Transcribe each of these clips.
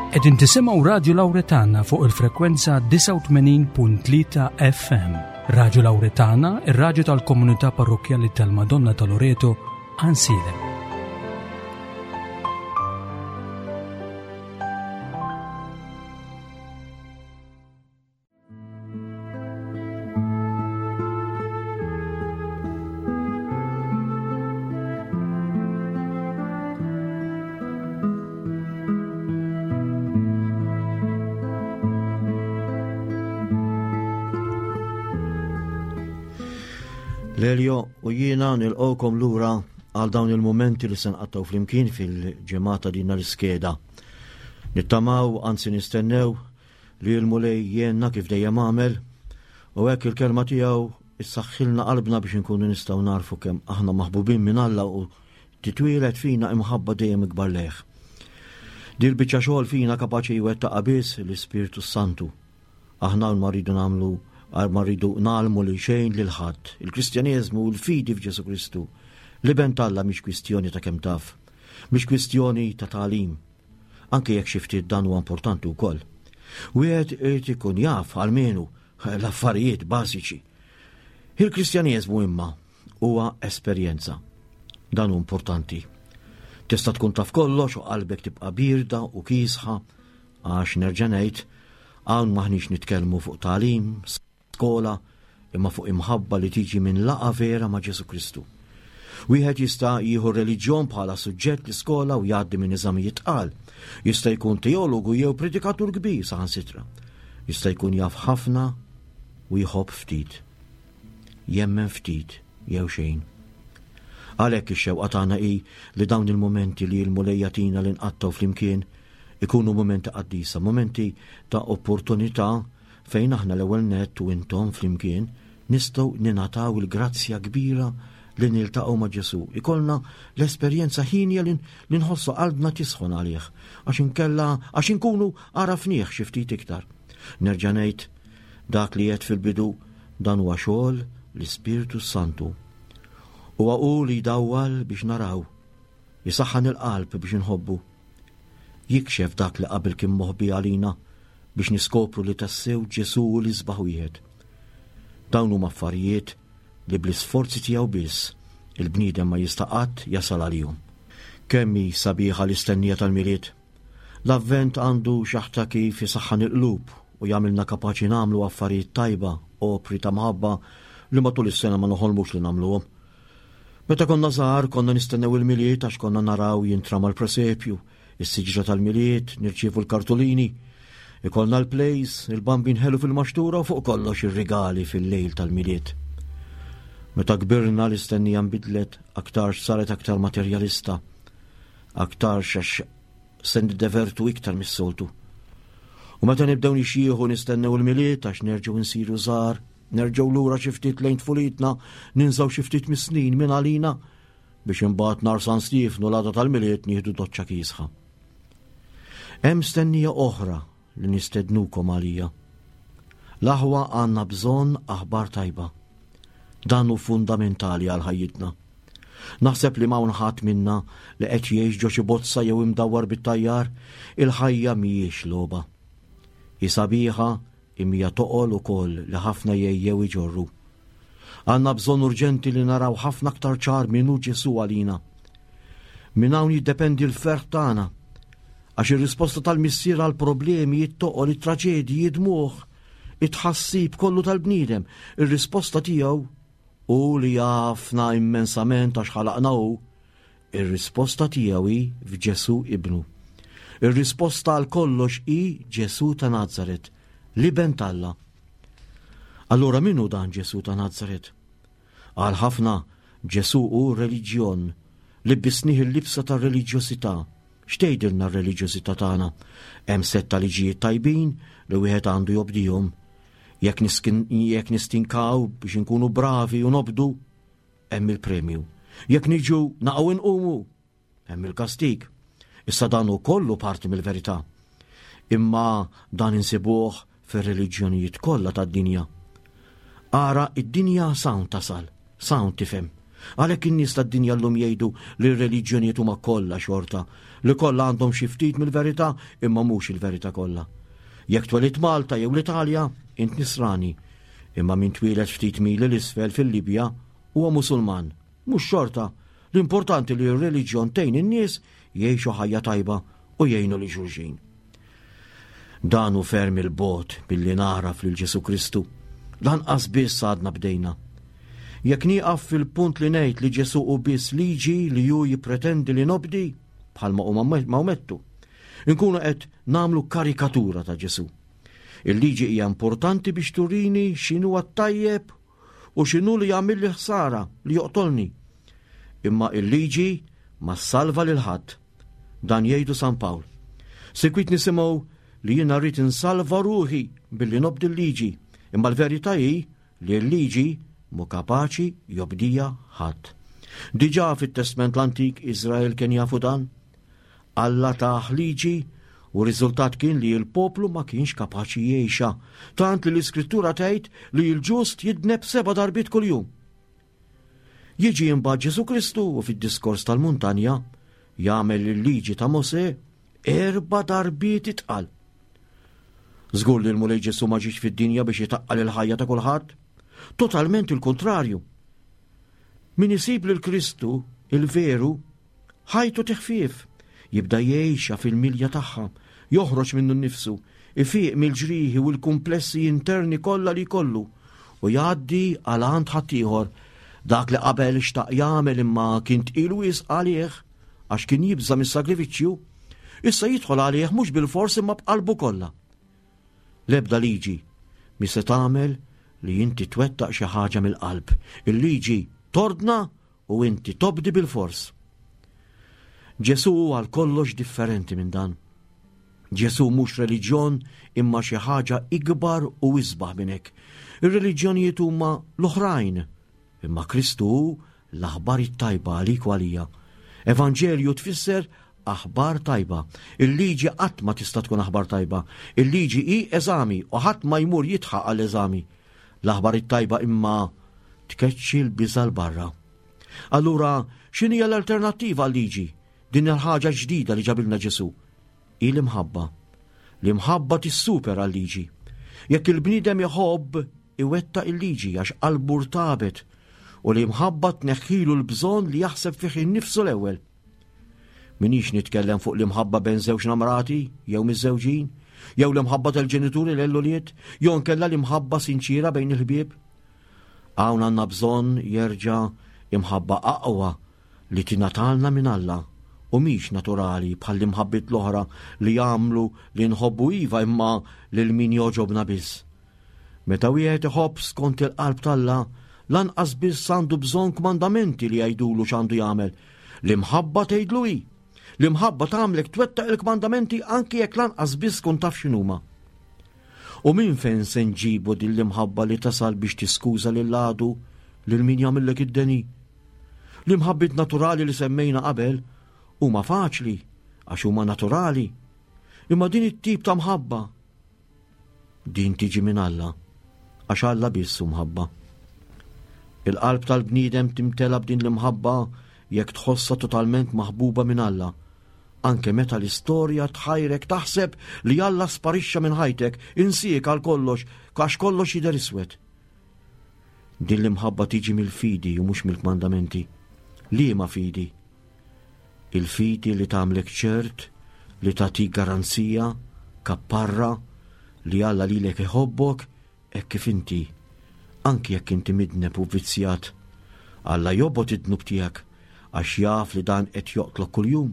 Qegħdin tisimgħu Radju Lawretana fuq il-frekwenza 89.3 FM. Radju Lawretana, ir-radju tal-komunità parrokkjali tal-Madonna ta' Loreto, Ansilem. Lelio u jiena nilqgħukom lura għal dawn il-mumenti li se nqattgħu flimkien fil-ġemata din l-iskeda. Nittamaw, anzi nistennew, li l-Mulej jgħinna kif dejjem għamel, u hekk il-kelma tiegħu issaħħilna qalbna biex inkunu nistgħu narfu kemm aħna maħbubin minn Alla u titwieled fina imħabba dejjem ikbar lejh. Dil biċċa xogħol fina kapaċi jwettaqha biss l-Ispirtu Santu. Aħna ma rridu nagħmlu ma rridu nagħlmu lil xejn lil ħadd. Il-Kristjaneżmu u l-fidi f'Ġesu Kristu. L-iben t'Alla mhix kwistjoni ta' kemm taf, mhix kwistjoni ta' tagħlim, anke jekk xi ftit dan huwa importanti wkoll. Wieħed irid ikun jaf almenu l-affarijiet bażiċi. Il-Kristjaneżmu imma huwa esperjenza. Dan hu importanti. Tista' tkun taf kollox u qalbek tibqa' birda u kiesħa għax nerġa' ngħid hawn maħniex nitkellmu fuq tagħlim, skola, imma fuq imħabba li tiġi minn laqgħa vera ma' Ġesù Kristu. Wieħed jista' jieħu r-reliġjon bħala suġġett l-iskola u jgħaddi minn eżamijiet tqal. Jista' jkun teologu jew predikatur kbir saħansitra. Jista' jkun jaf ħafna u jħobb ftit. Jemmen ftit jew xejn. Għalhekk ix-xewqa tagħna hi li dawn il-mumenti li l-Mulej jagħtina li nqattgħu flimkien ikunu mumenti qaddisa, mumenti ta' opportunità fejn aħna l-ewwel nett u intom flimkien nistgħu ningħataw il-grazzja kbira li niltaqgħu ma' Ġesù. Ikollna l-esperjenza ħinja li nħossu qalbna tisħon għalih, għax inkella għax inkunu għarafnieh xi ftit iktar. Nerġa' ngħid dak li għedt fil-bidu dan huwa xogħol l-Ispirtu Santu. Huwa hu li jdawwal biex naraw, isaħħan il-qalb biex inħobbu. Jikxef dak li qabel kien moħbi għalina biex niskopru li tassew Ġesù hu l-isbaħ wieħed. Dawn huma affarijiet li bl-isforzi tiegħu biss il-bniedem ma jista' qatt jasal għalihom. Kemm hi sabiħa l-istennija tal-Milied! L-Avvent għandu xaħta kif isaħħan il-qlub u jagħmilna kapaċi nagħmlu affarijiet tajba, opri ta' mħabba li matul is-sena ma noħolmux li nagħmluhom. Meta konna żgħar konna nistennew il-Milied għax konna naraw jintrama l-presepju, is-siġra tal-Milied, nirċievu l-kartolini, ikollna l-plays, il-bambin ħelu fil-maxtura u fuq kollox ir-rigali fil-lejl tal-Milied. Meta kbirna l-istennija nbidlet, aktarx saret aktar materjalista, aktarx għax se niddevertu iktar mis-soltu. U meta nibdew nixjieħu nistennew il-Milied għax nerġgħu nsiru żgħar, Nerġgħu lura xi ftit lejn tfulitna, ninżgħu xi ftit mis-snin minn għalina biex imbagħad nhar San Stiefnu l-għada tal-Milied nieħdu doċċa kiesħa. Hemm stennija oħra li nistednukom għalija. L-aħwa għandna bżonn aħbar tajba. Dan hu fundamentali għal ħajjitna. Naħseb li m'hawn ħadd minna li qed jgħix ġo xi bozza jew imdawwar bit-tajjar, il-ħajja mhijiex logħba. Hi sabiħa Imma hija toqol ukoll li ħafna jgħejjew iġorru. Għandna bżonn urġenti li naraw ħafna aktar ċar min hu Ġesù għalina. Minn hawn jiddependi l-ferħ tagħna. Għax ir-risposta tal-Missier għall-problemi, it-toqol, it-traġedji, id-dmugħ, it-tħassib kollu tal-bniedem, ir-risposta tiegħu hu li jafna immensament għax ħalaqna hu, Ir-risposta tiegħu hi f'Ġesù Ibnu. Ir-risposta għal kollox hi Ġesù ta' Nazaret, l-Iben t'Alla. Allura min hu dan Ġesù ta' Nazaret? Għal ħafna, Ġesù hu reliġjon, libbisnih il-libsa tar-reliġjosità. X'tgħidilna r-reliġjosità tagħna? Hemm sett ta' liġijiet tajbin li wieħed għandu jobdihom. Jekk nistinkaw biex inkunu bravi u nobdu, hemm il-premju. Jekk niġu naqgħu inqumu, hemm il-kastig. Issa dan hu kollu parti mill-verità. Imma dan insibuh fir-reliġjonijiet kollha tad-dinja. Ara id-dinja sawn tasal, sawn tifhem. Għalhekk in-nies tad-dinja llum jgħidu li r-reliġjonijiet huma kollha xorta, li kollha għandhom xi ftit mill-verità imma mhux il-verità kollha. Jekk twelidt Malta jew l-Italja, int Nisrani, imma min twieled ftit mili 'l isfel fil-Libja huwa Musulman. Mhux xorta, l-importanti li r-reliġjon tgħin in-nies jgħixu ħajja tajba u jgħinu lil xulxin. Dan hu ferm il-bogħod billi nagħraf lil Ġesù Kristu. Lanqas biss għadna bdejna. Jekk nieqaf fil-punt li ngħid li Ġesù hu biss liġi li hu jippretendi li nobdi, bħalma huma Mawmettu, inkunu qed nagħmlu karikatura ta' Ġesù. Il-liġi hija importanti biex turini x'inhu t-tajjeb u x'inhu li jagħmilli ħsara li joqtolni. Imma il-liġi ma ssalva lil ħadd. Dan jgħidu San Pawl. Sikwit nisimgħu li jiena rrid insalva ruħi billi nobdi l-liġi, imma l-verità hi li l-liġi mu kapaċi jobdija ħadd. Diġà fit-Testment l-Antik Iżrael kien jafu dan. Alla tah liġi u r-riżultat kien li l-poplu ma kienx kapaċi jgħixha, tant li l-Iskrittura tgħid li l-ġust jidneb seba' darbiet kuljum. Jiġi imbagħad Ġesù Kristu u fid-diskors tal-muntanja jagħmel il-liġi ta' Mosè erba' darbiet itqal. Żgur li l-Mulej Ġesù ma ġiex fid-dinja biex itaqqal il-ħajja ta' kulħadd. Totalment il-kontrarju. Min isib lil Kristu il-veru Ħajtu tiħfief, jibda jgħixha fil-milja tagħha, joħroġ minnu nnifsu, ifiq mill-ġrieħi u l-kumplessi interni kollha li jkollu u jgħaddi għal għand ħaddieħor dak li qabel xtaq jagħmel imma kien tqil wisq għalih għax kien jibża' mis-sagrifiċċju, issa jidħol għalih mhux bilfors imma b'qalbu kollha. L-ebda liġi mi se tagħmel li inti twettaq xi ħaġa mill-qalb. Il-liġi tordna u inti tobdi bilfors. Ġesù hu għal kollox differenti minn dan. Ġesù mhux reliġjon imma xi ħaġa ikbar u isbaħ minn hekk. Ir-reliġjonijiet huma l-oħrajn, imma Kristu hu l-aħbar it-tajba għalik u għalija. Evanġelju tfisser aħbar tajba. Il-liġi qatt ma tista' tkun aħbar tajba. Il-liġi hi eżami u ħadd ma jmur jidħaq għall eżami. L-aħbar it-tajba imma tkeċċi l-biża' 'l barra. Allura, x'inhija l-alternattiva għal-liġi, din il-ħaġa ġdida li ġabilna Ġesù? Hi l-imħabba. L-imħabba tissupera l-liġi. Jekk il-bniedem iħobb, iwettaq il-liġi għax qalbu rtabet u l-imħabba tneħħilu l-bżonn li jaħseb fih innifsu l-ewwel. Minix nitkellem fuq l-imħabba bejn żewġ namrati jew miżżewġin, jew l-imħabba tal-ġenituri l-ulied, jew nkella l-imħabba sinċira bejn il-ħbieb. Hawn għandna bżonn jerġa' imħabba aqwa li tingħatalna minn Alla u mhix naturali bħall-imħabbiet l-oħra li jagħmlu li nħobbu iva imma lil min jogħġobna biss. Meta wieħed iħobb skont il-qalb t'Alla, lanqas biss għandu bżonn kmandamenti li jgħidulu x'għandu jagħmel. L-imħabba tgħidlu hi. L-imħabba tagħmlek twettaq il-kmandamenti anki jekk lanqas biss tkun taf x'inhuma. U minn fejn se nġibu din l-imħabba li tasal biex tiskuża lil għadu lil min jagħmillek id-deni? L-imħabbiet naturali li semmejna qabel huma faċli għax huma naturali. Imma din it-tip ta' mħabba Din tiġi minn Alla, għax Alla biss hu mħabba. Il-qalb tal-bniedem timtela b'din l-imħabba jekk tħossha totalment maħbuba minn Alla. Anke meta l-istorja tħajrek taħseb li Alla sparixxa minn ħajtek, insiek għal kollox, għax kollox jidher iswed. Din l-imħabba tiġi mill-fidi u mhux mill-kmandamenti. Liema fidi? Il-fidi li tagħmlek ċert, li tagħtik garanzija, kapparra, li Alla lilek iħobbok hekk kif inti, anki jekk inti midneb u vvizzjat. Alla jobgħod id-dnub tiegħek għax jaf li dan qed joqtlok kuljum,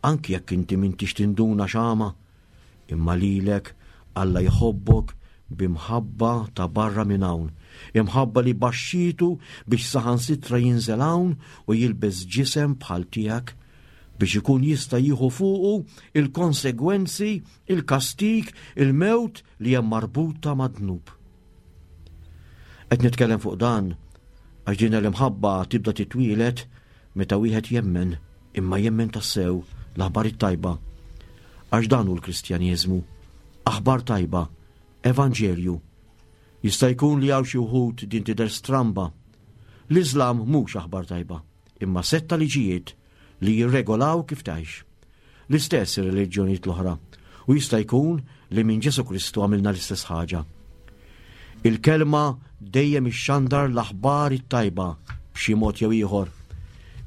anki jekk inti m'intix tinduna x'għama. Imma lilek Alla jħobbok b'imħabba ta' barra minn hawn, imħabba li baxxietu biex saħansitra jinżel hawn u jilbes ġisem bħal tiegħek biex ikun jista' jieħu fuqu il-konsegwenzi, il-kastig, il-mewt li hemm marbuta mad-dnub. Qed nitkellem fuq dan għax din l-imħabba tibda titwieled meta wieħed jemmen, imma jemmen tassew l-aħbar it-tajba. Għax dan hu l-Kristjaneżmu, aħbar tajba, evanġelju. Jista' jkun li hawn xi wħud din tidher stramba. L-Iżlam mhux aħbar tajba, imma sett ta' liġijiet li jirregolaw kif tgħix. L-istess ir-reliġjonijiet l-oħra, u jista' jkun li minn Ġesù Kristu għamilna l-istess ħaġa. Il-kelma dejjem ixxandar l-aħbar it-tajba b'xi mod jew ieħor.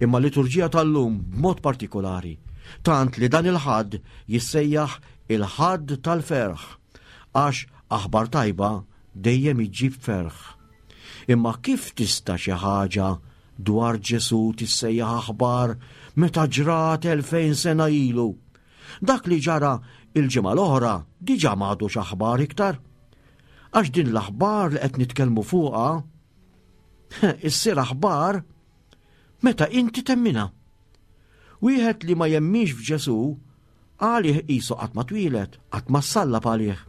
Imma l-liturġija tal-lum b'mod partikolari, tant li dan il-Ħadd jissejjaħ il-Ħadd tal-ferħ, għax aħbar tajba dejjem iġġib ferħ. Imma kif tista' xi ħaġa dwar Ġesù tissejjaħ aħbar meta ġrat 2000 sena ilu? Dak li ġara il-ġimgħa l-oħra diġà m'għadux aħbar iktar. Għax din l-aħbar li qed nitkellmu fuqha issir aħbar meta inti temminha. Wieħed li ma jemminx f'Ġesù Għalih qisu qatt ma twieled, qatt ma ssallab għalih.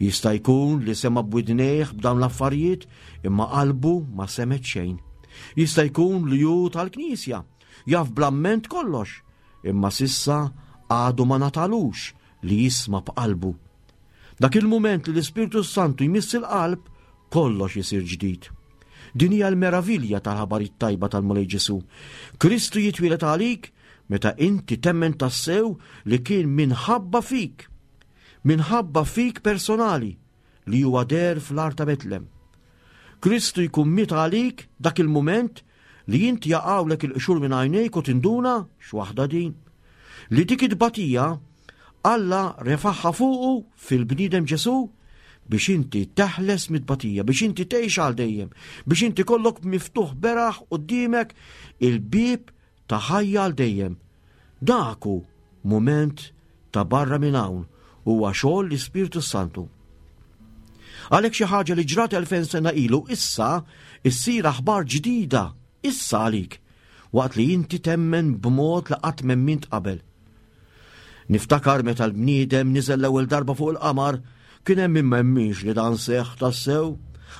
Jista' jkun li sema' b'widnejh b'dawn l-affarijiet imma qalbu ma semgħet xejn. Jista' jkun li hu tal-Knisja, jaf bl-amment kollox, imma s'issa għadu ma ngħatalux li jisma' b'qalbu. Dak il-mument li l-Ispirtu s-Santu jmiss il-qalb, kollox isir ġdid. Din hija l-meravilja tal-ħabar it-tajba tal-Mulej Ġesù. Kristu jitwieled għalik meta inti temmen tassew li kien minħabba fik, minħabba fik personali li huwa deher fl-għar ta' Betlem. Kristu jkun miet għalik dak il-mument li inti jaqgħulek il-qxur minn għajnejk u tinduna x'waħda din. Li dik it-tbatija Alla refaħħa fuqu fil-bniedem Ġesù biex inti teħles mit-tbatija, biex inti tgħix għal dejjem, biex inti kollok miftuħ beraħ quddiemek il-bieb ta' ħajja għal dejjem. Dak hu mument ta' barra minn hawn huwa xogħol l-Ispirtu Santu. Għalhekk xi ħaġa li ġrat 2000 sena ilu issa issir aħbar ġdida issa għalik waqt li inti temmen b'mod li qatt m'emmint qabel. Niftakar meta l-bniedem niżel l-ewwel darba fuq il-qamar, kien hemm min m'emminx li dan seħħ tassew.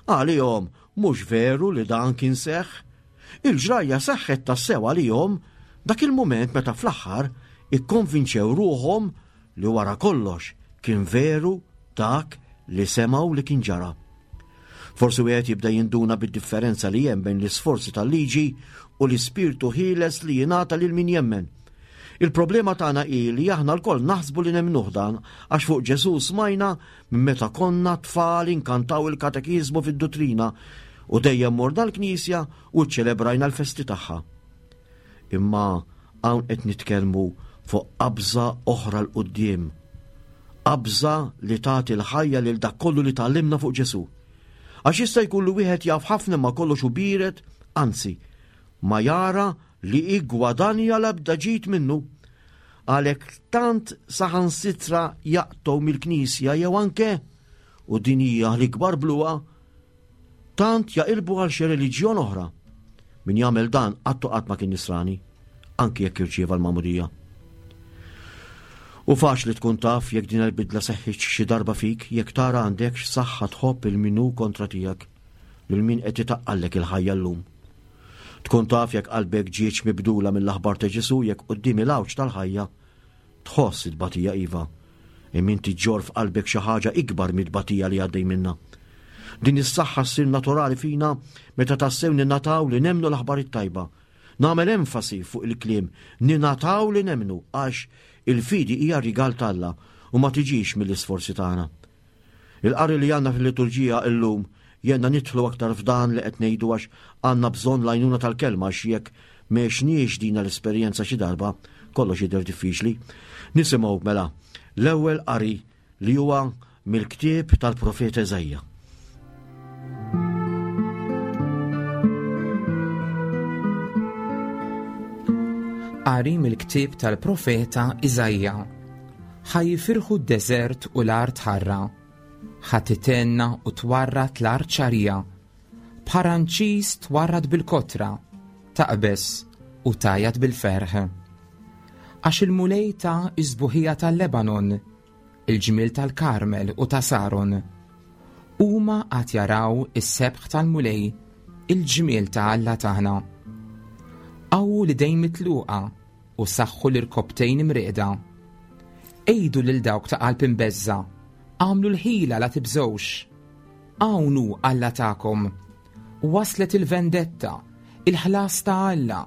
Għalihom mhux veru li dan kien seħħ. Il-ġrajja seħħet tassew għalihom dak il-mument meta fl-aħħar ikkonvinċew ruħhom li wara kollox kien veru dak li semgħu li kien ġara. Forsi wieħed jibda jinduna bid-differenza li hemm bejn l-isforzi tal-liġi u l-ispirtu ħieles li jingħata lil min jemmen. Il-problema tagħna hi li aħna lkoll naħsbu li nemmnuh dan għax fuq Ġesù smajna minn meta konna tfal inkantaw il-katekiżmu fid-duttrina u dejjem morna l-knisja u ċċelebrajna l-festi tagħha. Imma hawn qed nitkellmu fuq qabża oħra 'l quddiem. Qabża li tagħti l-ħajja lil dak kollu li tgħallimna fuq Ġesù. Għax jista' jkun li wieħed jaf ħafna imma kollox hu biered, anzi, ma jara li iggwadanja l-ebda ġid minnu. Għalhekk tant saħansitra jaqtgħu mill-Knisja jew anke, u din hija l-ikbar bluha, tant jaqilbu għal xi reliġjon oħra. Min jagħmel dan qatt u qatt ma kien nisrani, anki jekk irċieva l-magħmudija. U faċli tkun taf jekk din il-bidla seħħitx xi darba fik jekk tara għandekx saħħa tħobb il min hu kontra tiegħek, lil min qed itaqqallek il-ħajja llum. Tkun taf jekk qalbek ġietx mibdula mill-aħbar ta' Ġesù jekk quddiem il-għawġ tal-ħajja Tħoss it-tbatija iva, imma inti ġġorr f'qalbek xi ħaġa ikbar mit-tbatija li għaddej minnha. Din is-saħħa ssir naturali fina meta tassew ninataw li nemmnu l-aħbar it-tajba. Nagħmel enfasi fuq il-kliem ninataw li nemmnu għax il-fidi hija rigal t'Alla u ma tiġix mill-isforzi tagħna. Il-qari li għandna fil-liturġija illum jgħinna nidħlu aktar f'dan li qed ngħidu għax għandna bżonn l-għajnuna tal-kelma għax jekk m'għexniex dina l-esperjenza xi darba, kollox jidher diffiċli. Nisimgħu mela l-ewwel qari li huwa mill-ktieb tal-profeta Eżajja. Qari mill-ktieb tal-profeta Iżajja. Ħa jifirħu d-deżert u l-art ħarra, ħa titenna u twarrad l-art xagħrija. Bħaranċis twarrad bil-kotra, taqbeż u tgħajjat bil-ferħ. Għax il-Mulej ta s-sbuħija tal-Lebanon, il-ġmiel tal-Karmel u ta' Saron. Huma għad jaraw is-sebħ tal-Mulej, il-ġmiel ta' Alla tagħna. Qawwu l-idejn mitluqa u saħħu l-irkopptejn imrieqda. Għidu lil dawk ta' qalb imbeżża', Agħmlu l-ħila la tibżgħux. Hawn hu Alla tagħkom. Waslet il-vendetta, il-ħlas ta' Alla,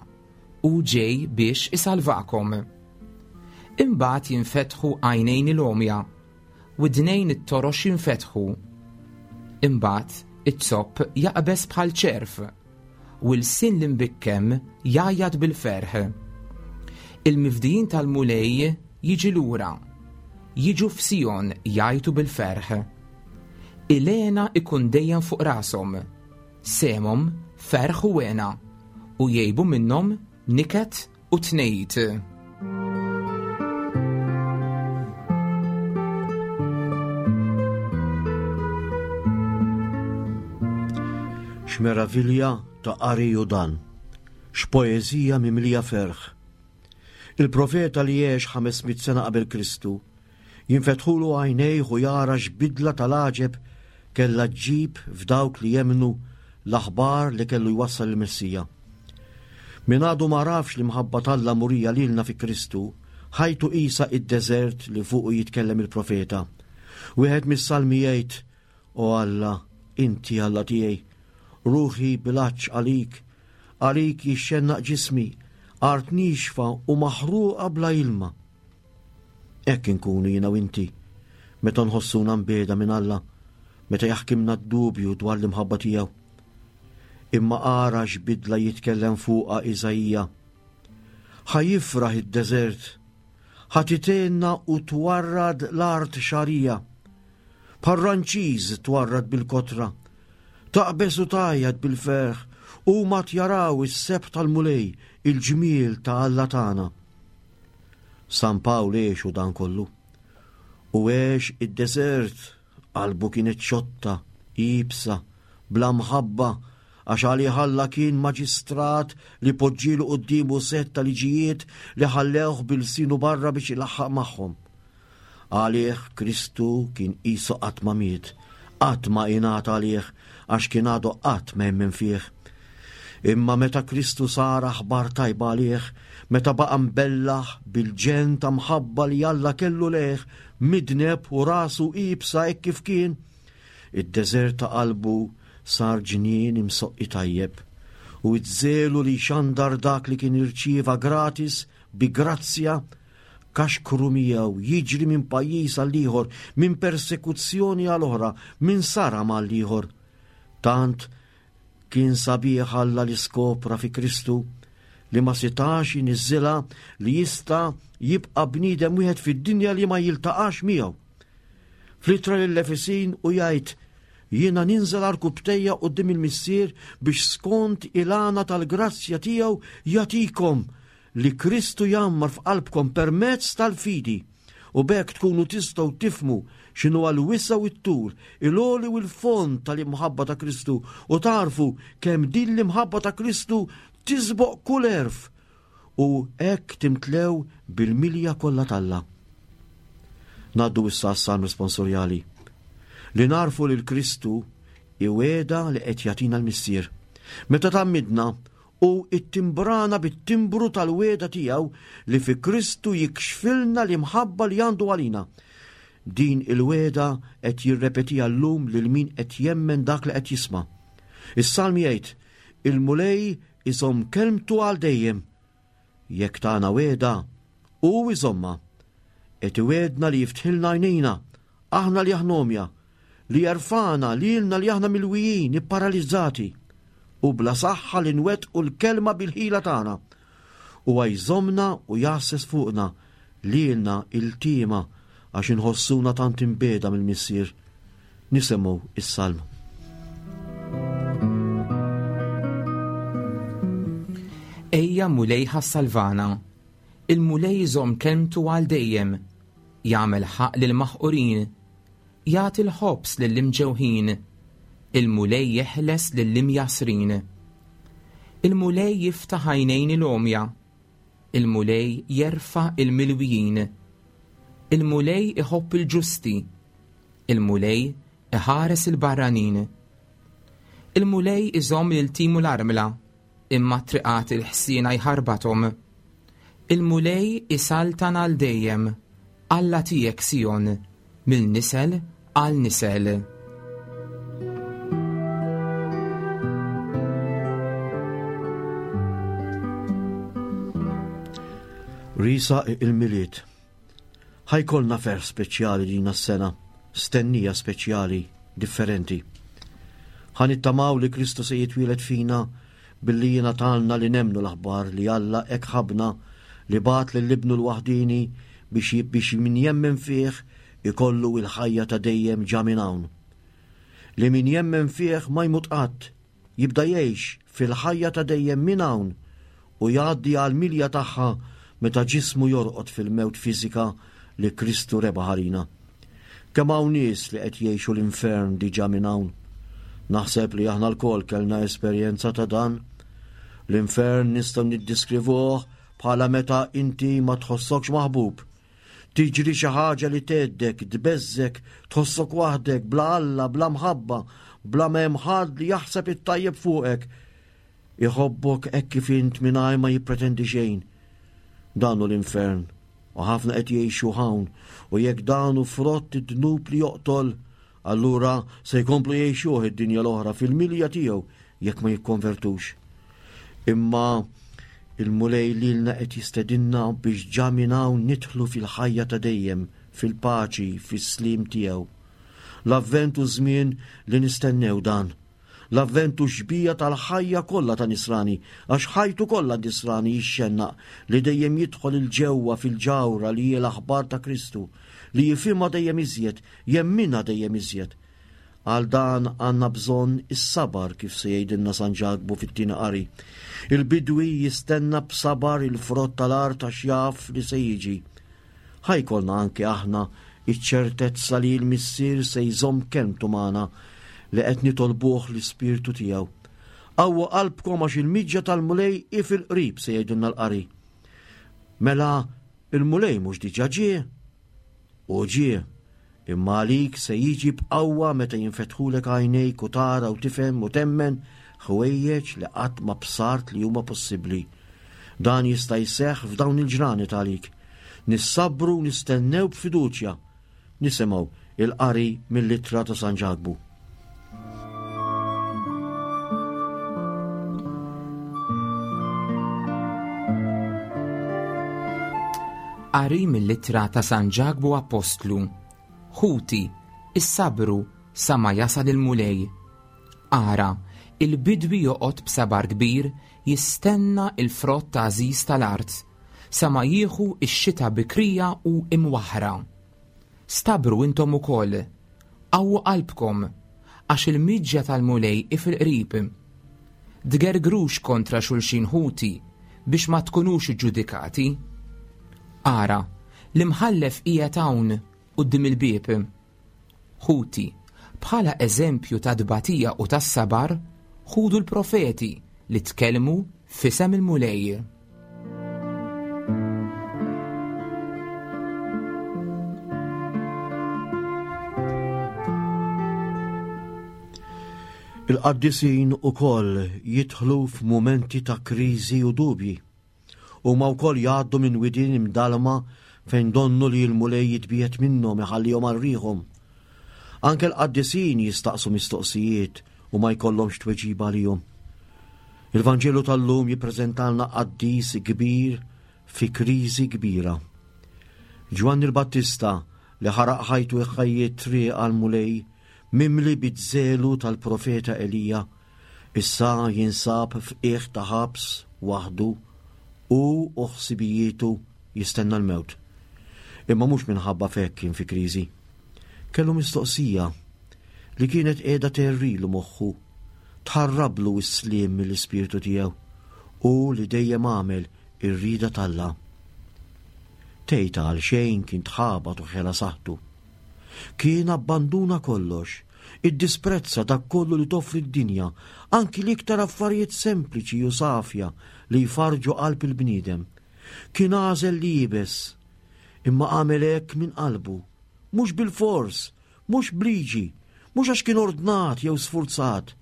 u ġej biex isalvakom. Imbagħad jinfetħu għajnejn il-għomja, widnejn it-torox jinfetħu. Imbagħad iz-zopp jaqbeż bħal ċerf, u l-sin l-imbikkem jgħajjat bil-ferħ. Il-mifdijin tal-Mulej jiġi lura, jiġu f'Sijon jgħajtu bil-ferħ. Il-hena ikun dejjem fuq rashom, sehemhom ferħ u hena, u jgħibu minnhom niket u tnejt. X'meravilja ta' qari hu dan! X'poeżija mimlija ferħ! Il-profeta li għex 500 sena qabel Kristu jinfetħulu għajnejh u jara x'bidla tal-għaġeb kellha ġġib f'dawk li jemmnu l-aħbar li kellu jwassal il-Messija. Min għadu m'għarafx l-imħabba t'Alla murija lilna fi Kristu, ħajtu qisha id-deżert li fuqu jitkellem il-profeta. Wieħed mis-salmi jgħid, O Alla, inti Alla tiegħi, ruħi bil-għatx għalik, għalik jixxennaq ġismi, art niexfa u maħruqa bla ilma. Hekk inkunu jiena u inti meta nħossuna mbiegħda minn Alla, meta jaħkimna d-dubju dwar l-imħabba tiegħu. Imma ara x'bidla jitkellem fuqha Iżaija. Ħa jifraħ id-deżert, ħa titenna u twarrad l-art xagħrija. Bħal ranċiż twarrad bil-kotra, taqbeż u tgħajjat bil-ferħ, huma jaraw is-sebħ tal-Mulej, il-ġmiel ta' Alla tagħna. San Pawl għexu dan kollu. U għex id-deżert, qalbu kienet xotta, iebsa, bla mħabba, għax għalih Alla kien maġistrat li poġġielu quddiemu sett ta' liġijiet li ħallewh b'ilsienu barra biex ilaħħaq magħhom. Għalih Kristu kien qisu qatt ma miet, qatt ma ingħata għalih għax kien għadu qatt ma emmen fih. Imma meta Kristu sar aħbar tajba għalih, meta baqa' mbellah bil-ġenn ta' mħabba li Alla kellu lejh, midneb u rasu iebsa hekk kif kien, id-deżert ta' qalbu sar ġnien imsoqqi tajjeb, u ż-żelu li jxandar dak li kien irċieva gratis bi grazzja kaxkru miegħu jiġri minn pajjiż għal ieħor, minn persekuzzjoni għal oħra, minn saram għal ieħor. Tant kien sabiħ Alla li skopra fi Kristu li ma setax iniżżilha li jista' jibqa' bniedem wieħed fid-dinja li ma jiltaqax miegħu. Fl-ittra lill-Efesin u jgħid jiena ninżel għarkupptejja quddiem il-Missier biex skont il-għana tal-grazzja tiegħu jagħtikom li Kristu jgħammar f'qalbkom permezz tal-fidi, u b'hekk tkunu tistgħu tifhmu x'inhuwa l-wisa' u t-tul, il-għoli u l-fond tal-imħabba ta' Kristu, u tagħrfu kemm din l-imħabba ta' Kristu tisboq kull għerf, u hekk timtlew bil-milja kollha t'Alla. Ngħaddu issa għas-salm responsorjali. Li nagħrfu lil Kristu hi wegħda li qed jagħtina l-Missier. Meta tgħammidna, Hu ttimbrana bit-timbru tal-wegħda tiegħu li fi Kristu jikxfilna l-imħabba li għandu għalina. Din il-wegħda qed jirrepetiha llum lil min qed jemmen dak li qed jisma'. Is-Salm jgħid, Il-Mulej iżomm kelmtu għal dejjem. Jekk tana wegħda, hu jżommha. Qed iwegħdna li jiftħilna għajnejna, aħna li aħna għomja, li jerfagħna lilna li aħna milwijin, ipparalizzati, u bla saħħa li nwettqu l-kelma bil-ħila tagħna. Huwa jżommna u jgħasses fuqna lilna iltiema għax inħossuna tant imbiegħda mill-Missier. Nisimgħu is-salm. Ejja Mulej ħa ssalvana. Il-Mulej iżomm kelmtu għal dejjem. Jagħmel ħaqq lill-maħqurin. Jagħti l-ħobż lill-imġewħin. Il-Mulej jeħles lill-imjassrin. Il-Mulej jiftaħ għajnejn il-għomja. Il-Mulej jerfa' il-milwijin. Il-Mulej iħobb il-ġusti. Il-Mulej iħares il-barranin. Il-Mulej iżomm lil timu l-armla, imma triqat il-ħsiena jħarbathom. Il-Mulej isaltan għal dejjem, Alla tiegħek Sijon, mill nisel għal nisel. Risa il-Milied. Ħa jkollna ferħ speċjali din is-sena, stennija speċjali, differenti. Ħa nittamaw li Kristu se jitwieled fina billi jingħatalna li nemmnu l-aħbar li Alla hekk ħabbna li bagħat lil Ibnu l-waħdieni biex biex min jemmen fih ikollu il-ħajja ta' dejjem ġa minn hawn. Li min jemmen fih ma jmut qatt, jibda jgħix fil-ħajja ta' dejjem minn hawn u jgħaddi għall-milja tagħha meta ġismu jorqod fil-mewt fiżika li Kristu rebaħ għalina. Kemm hawn nies li qed jgħixu l-infern diġà minn hawn. Naħseb li aħna lkoll kellna esperjenza ta' dan. L-infern nistgħu niddiskrivuh bħala meta inti ma tħossokx maħbub, Tiġri xi ħaġa li tgħeddek, tbeżżek, tħossok waħdek, bla Alla, bla mħabba, bla ma hemm ħadd li jaħseb it-tajjeb fuqek. Iħobbok hekk kif int mingħajr ma jippretendi xejn. Dan hu l-infern, u ħafna qed jgħixu hawn, u jekk dan hu frott id-dnub li joqtol, Allura se jkomplu jgħixuh id-dinja l-oħra fil-milja tiegħu jekk ma jikkonvertux. Imma il-Mulej lilna qed jistedinna biex ġa minn hawn nidħlu fil-ħajja ta' dejjem, fil-paċi, fis-sliem tiegħu. L-Avvent hu żmien li nistennew dan. L-Avvent hu xbieha tal-ħajja kollha ta' Nisrani, għax ħajtu kollha Nisrani jixxennaq li dejjem jidħol 'il ġewwa fil-ġawhra li hi l-aħbar ta' Kristu, li jifhimha dejjem iżjed, jemminha dejjem iżjed. Għal dan għandna bżonn is-sabar kif se jgħidilna San Ġakbu fit-tieni qari. Il-bidwi jistenna b'sabar il-frott tal-art għax jaf li se jiġi. Ħa jkollna anke aħna iċ-ċertezza li l-Missier se jżomm kelmtu magħna li qed nitolbuh l-Ispirtu tiegħu. Qawwu qalbkom għax il-miġja tal-Mulej hi fil-qrib se jgħidilna l-qari. Mela il-Mulej mhux diġà ġie? Hu ġie, imma għalik se jiġi b'qawwa meta jinfetħulek għajnejk u tara u tifhem u temmen ħwejjeġ li qatt ma bsart li huma possibbli. Dan jista' jseħħ f'dawn il-ġranet għalik. Nissabbru u nistennew b'fiduċja. Nisimgħu il-qari mill-ittra ta' San Ġakbu. Qari mill-ittra ta' San Ġakbu Appostlu. Ħuti, issabru sa ma jasal il-Mulej. Ara, il-bidwi joqgħod b'sabar kbir jistenna il-frott għażiż tal-art, sa ma jieħu x-xita bikrija u imwaħħra. Stabru intom ukoll, qawwu qalbkom, għax il-miġja tal-Mulej hi fil-qrib. Tgergrux kontra xulxin ħuti biex ma tkunux iġġudikati. Ara, l-imħallef qiegħed hawn quddiem il-bieb. Ħuti, bħala eżempju ta' tbatija u tas-sabar, ħudu l-profeti li tkellmu f'isem il-Mulej. Il-qaddisin ukoll jidħlu f'mumenti ta' kriżi u dubji. Huma wkoll jgħaddu minn widien imdalma fejn donnu li l-Mulej jitbiegħed minnhom iħallihom għal riħhom. Anke l-qaddisin jistaqsu mistoqsijiet u ma jkollhomx tweġiba għalihom. Il-Vanġelu tal-lum jippreżentalna qaddis kbir fi kriżi kbira. Ġwanni l-Battista li ħaraq ħajtu jħajji triq għall-Mulej mimli biż-żelu tal-profeta Elija, issa jinsab f'qiegħ ta' ħabs waħdu hu u ħsibijietu jistenna l-mewt. Imma mhux minħabba f'hekk kien fi kriżi. Kellu mistoqsija li kienet qiegħda tgħerrilu moħħu, tħarrablu s-sliem mill-ispirtu tiegħu, hu li dejjem għamel ir-rieda t'Alla. Tgħid għal xejn kien tħabat u ħela saħħtu. Kien abbanduna kollox, iddisprezza dak kollu li toffri d-dinja, anki l-iktar affarijiet sempliċi u safja li jfarrġu qalb il-bniedem. Kien għażel li jibes, imma għamel hekk minn qalbu, mhux bilfors, mhux b'liġi, mhux għax kien ordnat jew sfurzat.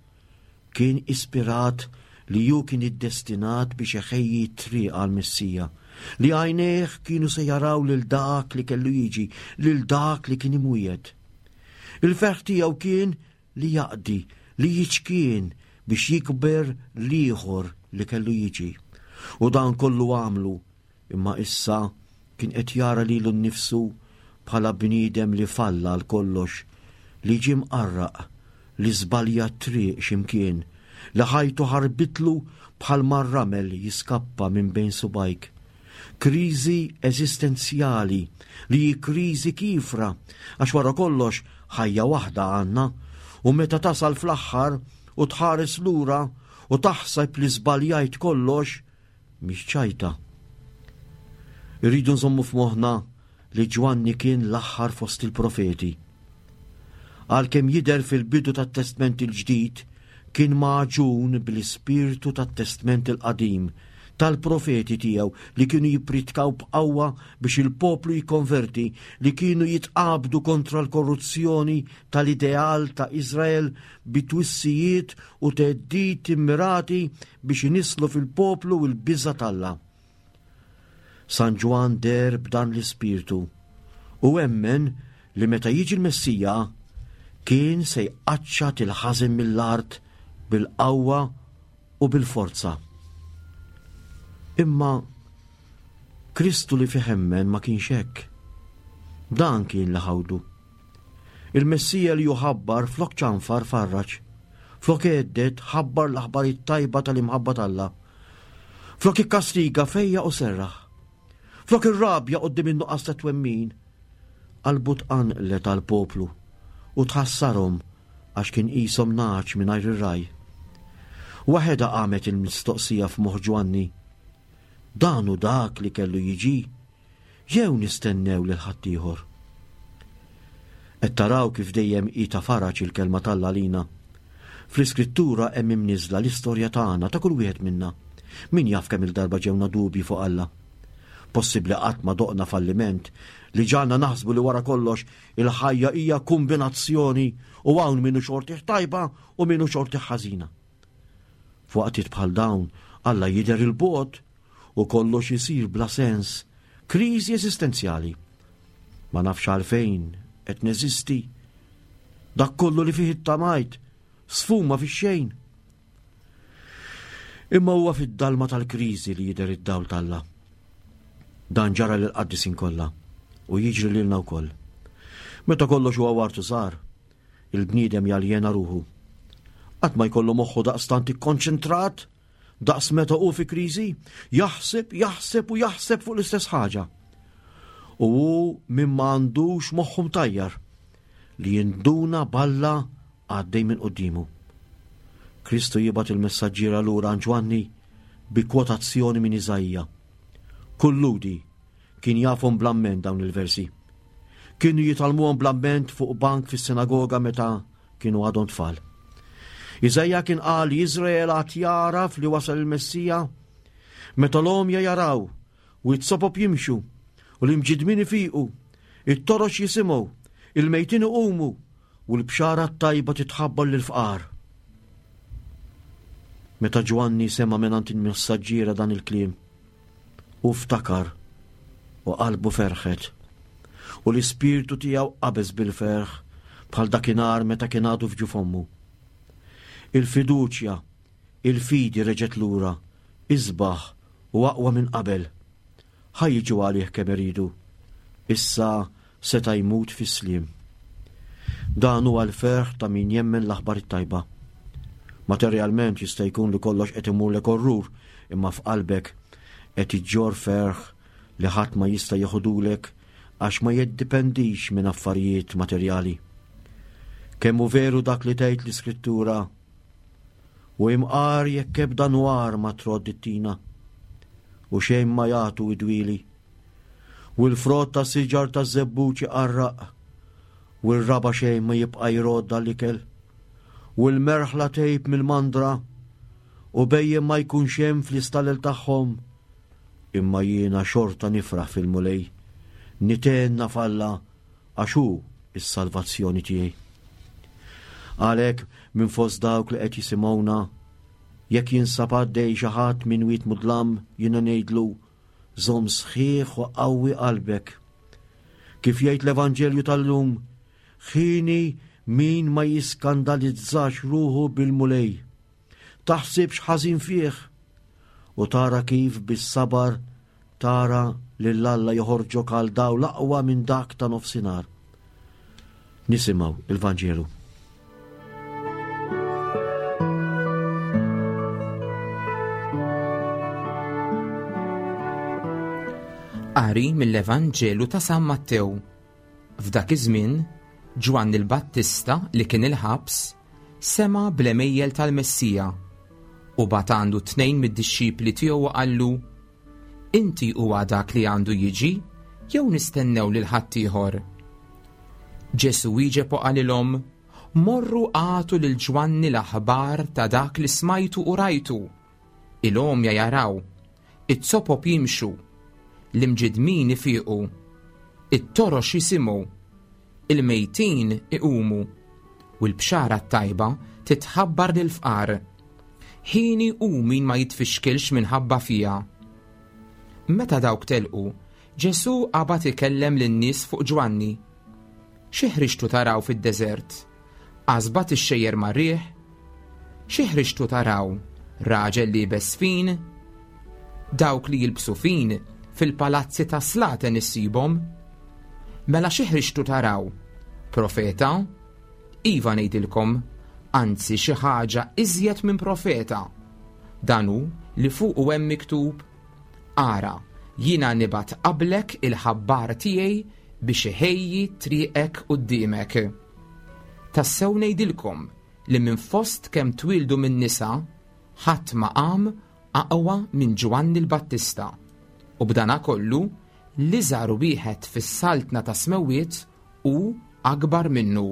Kien ispirat li hu kien iddestinat biex iħejji t-triq għall-Messija, li għajnejh kienu se jaraw lil dak li kellu jiġi, lil dak li kien imwiegħed. Il-ferħ tiegħu kien li jaqdi, li jiċkien biex jikber l-ieħor li kellu jiġi. U dan kollu għamlu. Imma issa kien qed jara lilu nnifsu bħala bniedem li falla għal kollox, li ġie mqarraq, li żbalja t-triq xi mkien, li ħajtu ħarbitlu bħalma r-ramel jiskappa minn bejn subgħajk. Kriżi eżistenzjali li hi kriżi kiefra għax wara kollox ħajja waħda għandna u meta tasal fl-aħħar u tħares lura u taħseb li żbaljajt kollox, mhix ċajta. Irridu nżommu f'moħħna li Ġwanni kien l-aħħar fost il-profeti. Għalkemm jidher fil-bidu tat-Testment il-Ġdid, kien magħġun bl-ispirtu tat-Testment il-Qadim, tal-profeti tiegħu li kienu jippritkaw b'qawwa biex il-poplu jikkonverti, li kienu jitqabdu kontra l-korruzzjoni tal-ideal ta' Iżrael bi twissijiet u theddid immirati biex inisslu fil-poplu l-biża' t'Alla. San Ġwann deher b'dan l-ispirtu u emmen li meta jiġi l-Messija kien se jqaċċat il-ħażen mill-art bil-qawwa u bil-forza. Imma Kristu li fih emmen ma kienx hekk. Dan kien li ħawdu. Il-Messija li hu ħabbar flok ċanfar farraġ. Flok għedded ħabbar l-aħbar it-tajba tal-imħabba t'Alla. Flok ikkastiga fejjaq u serraħ. Flok irrabja quddiem in-nuqqas ta' twemmin, qalbu tqanqlet għall-poplu u tħassarhom għax kien qishom nagħaġ mingħajr ir-ragħaj. Waħedha qamet il-mistoqsija f'moħħ Ġwanni, Dan hu dak li kellu jiġi? Jew nistennew lil ħaddieħor? Qed taraw kif dejjem hi ta' faraġ il-Kelma t'Alla għalina? Fl-Iskrittura hemm imniżżla l-istorja tagħna, ta' kull wieħed minna. Min jaf kemm-il darba ġewna dubji fuq Alla? Possibbli qatt ma doqna falliment li ġagħalna naħsbu li wara kollox il-ħajja hija kumbinazzjoni u hawn min hu xortih tajba u min hu xortih ħażina? F'waqtiet bħal dawn, Alla jidher 'il bogħod u kollox isir bla sens, kriżi eżistenzjali. Ma nafx għalfejn qed neżisti. Dak kollu li fih ittamajt sfuma fix-xejn. Imma huwa fid-dalma tal-kriżi li jidher id-dawl t'Alla. Dan ġara lill-qaddisin kollha u jiġri lilna wkoll. Meta kollox huwa wartu sar, il-bniedem jaljena ruħu. Qatt ma jkollu moħħu daqstant ikkonċentrat daqs meta hu fi kriżi, jaħseb, jaħseb u jaħseb fuq l-istess ħaġa. U hu min ma għandux moħħu mtajjar li jinduna b'Alla għaddej minn quddiemu. Kristu jibgħat il-messaġġiera lura għand Ġwanni bi kwotazzjoni minn Iżaija. Kull Lhudi kien jafhom bl-amment dawn il-versi. Kienu jitgħallmuhom bl-amment fuq bank fis-sinagoga meta kienu għadhom tfal. Iżaija kien qal li Iżrael għad jagħraf li wasal il-Messija meta l-għomja jaraw u t-sopop jimxu u l-imġidmin ifiqu, it-torox jisimgħu, il-mejtin iqumu u l-bxara t-tajba titħabbar lill-fqar. Meta Ġwanni sema' mingħand il-messaġġiera dan il-kliem, Hu ftakar u qalbu ferħet, u l-ispirtu tiegħu qabeż bil-ferħ bħal dakinhar meta kien għadu f'ġuf ommu. Il-fiduċja, il-fidi reġgħet lura, isbaħ u aqwa minn qabel. Ħa jiġu għalih kemm iridu. Issa seta' jmut fis-sliem. Dan huwa l-ferħ ta' min jemmen l-aħbar it-tajba. Materjalment jista' jkun li kollox qed imurlek orrur, imma f'qalbek qed iġġorr ferħ li ħadd ma jista' jeħodulek għax ma jiddipendix minn affarijiet materjali. Kemm hu veru dak li tgħid l-Iskrittura, U imqar jekk ebda nwar ma trodd it-tina, u xejn ma jagħtu id-dwieli, U l-frott ta' siġar taż-żebbuġ iqarraq, u r-raba' xejn ma jibqa' jrodd għall-ikel, u l-merħla tgħib mill-mandra, u bhejjem ma jkunx hemm fl-istalel tagħhom. Imma jiena xorta nifraħ fil-Mulej, nithenna f'Alla għax hu s-salvazzjoni tiegħi. Għalhekk minn fost dawk li qed jisimgħuna, jekk jinsab għaddej xi ħadd minn wied mudlam, jiena ngħidlu, Żomm sħiħ u qawwi qalbek. Kif jgħid l-Evanġelju tal-lum, ħini min ma jiskandalizzax ruħu bil-Mulej. Taħsibx ħażin fih u tara kif bis-sabar Tara lil Alla joħorġok għal dawl aqwa minn dak ta' nofsinhar. Nisimgħu il-Vanġelu. Qari mill-Evanġelu ta' San Mattew. F'dak iż-żmien, Ġwanni l-Battista li kien il-ħabs sema' bl-għemejjel tal-Messija u bagħat għandu tnejn mid-dixxipli tiegħu u qallu, Inti huwa dak li għandu jiġi jew nistennew lil ħaddieħor? Ġesù wieġeb u qalilhom, Morru agħtu lil Ġwanni l-aħbar ta' dak li smajtu u rajtu. Il-għomja jaraw, it-sopop jimxu, l-imġidmin ifiqu, it-torox jisimgħu, il-mejtin iqumu, u l-bxara t-tajba titħabbar lill-fqar. Ħini hu min ma jitfixkilx minħabba fija. Meta dawk telqu, Ġesù qabad ikellem lin-nies fuq Ġwanni. Xi ħriġtu taraw fid-deżert? Qasba tixxejjer mar-riħ? Xi ħriġtu taraw? Raġel liebes fin? Dawk li jilbsu fin fil-palazzi ta' slaten issibhom. Mela xi ħriġtu taraw? Profeta? Iva ngħidilkom, anzi xi ħaġa iżjed minn profeta. Dan hu li fuqu hemm miktub, Ara, jiena nibgħat qablek il-ħabbar tiegħi biex iħejji triqek quddiemek. Tassew ngħidilkom li minn fost kemm twieldu min-nisa, ħadd ma qam aqwa minn Ġwanni l-Battista. U b'danakollu, l-iżgħar wieħed fis-saltna tas-smewwiet hu akbar minnu.